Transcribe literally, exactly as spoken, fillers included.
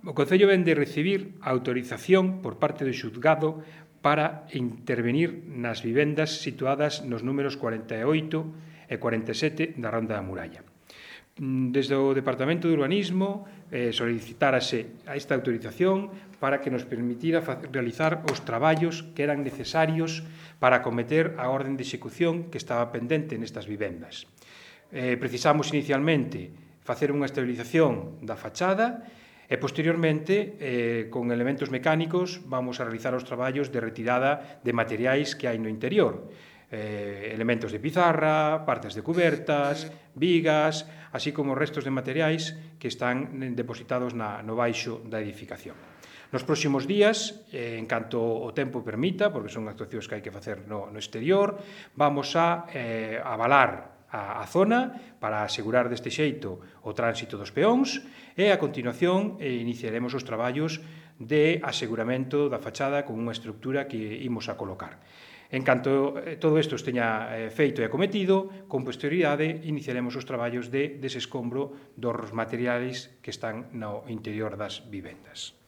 O Concello vén de recibir a autorización por parte do xuzgado para intervenir nas vivendas situadas nos números cuarenta e oito e cuarenta e sete da Ronda da Muralla. Desde o Departamento de Urbanismo eh, solicitárase a esta autorización para que nos permitira realizar os traballos que eran necesarios para acometer a orden de execución que estaba pendente nestas vivendas. Eh, precisamos inicialmente facer unha estabilización da fachada e, posteriormente, eh, con elementos mecánicos, vamos a realizar os traballos de retirada de materiais que hai no interior. Eh, elementos de pizarra, partes de cubertas, vigas, así como restos de materiais que están depositados na, no baixo da edificación. Nos próximos días, eh, en canto o tempo permita, porque son actuacións que hai que facer no, no exterior, vamos a eh, avalar a, a zona para asegurar deste xeito o tránsito dos peóns e, a continuación, eh, iniciaremos os traballos de aseguramento da fachada con unha estructura que imos a colocar. En canto todo isto esteña feito e acometido, con posterioridade iniciaremos os traballos de desescombro dos materiais que están no interior das vivendas.